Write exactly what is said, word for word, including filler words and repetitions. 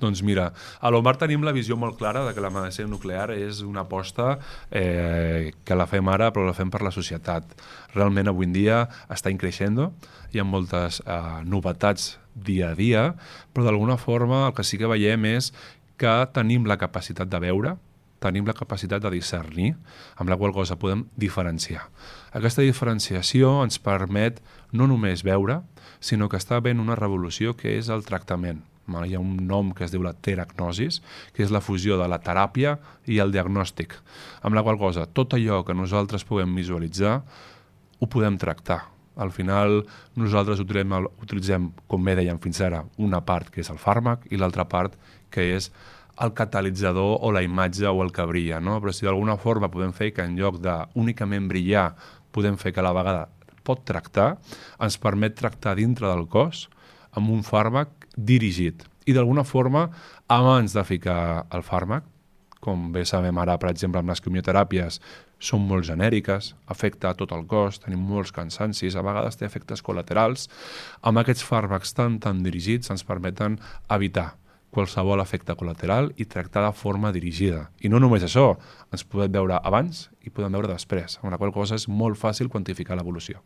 Doncs mira, a l'Omar tenim la visió molt clara de que la medicina nuclear és una aposta eh, que la fem ara però la fem per la societat. Realment avui en dia està increixent, hi ha moltes eh, novetats dia a dia, però d'alguna forma el que sí que veiem és que tenim la capacitat de veure, tenim la capacitat de discernir, amb la qual cosa podem diferenciar. Aquesta diferenciació ens permet no només veure, sinó que està havent una revolució que és el tractament. Hi ha un nom que es diu la teragnosis, que és la fusió de la teràpia i el diagnòstic, amb la qual cosa tot allò que nosaltres puguem visualitzar ho podem tractar. Al final nosaltres utilitzem, utilitzem, com bé dèiem fins ara, una part que és el fàrmac i l'altra part que és el catalitzador o la imatge o el que brilla, no? Però si d'alguna forma podem fer que en lloc d'únicament brillar podem fer que a la vegada pot tractar, ens permet tractar dintre del cos amb un fàrmac dirigit. I d'alguna forma, abans de ficar el fàrmac, com bé sabem ara, per exemple, amb les quimioteràpies, són molt genèriques, afecta a tot el cos, tenim molts cansancis, a vegades té efectes col·laterals. Amb aquests fàrmacs tan, tan dirigits ens permeten evitar qualsevol efecte col·lateral i tractar de forma dirigida. I no només això, ens podem veure abans i podem veure després, amb la qual cosa és molt fàcil quantificar l'evolució.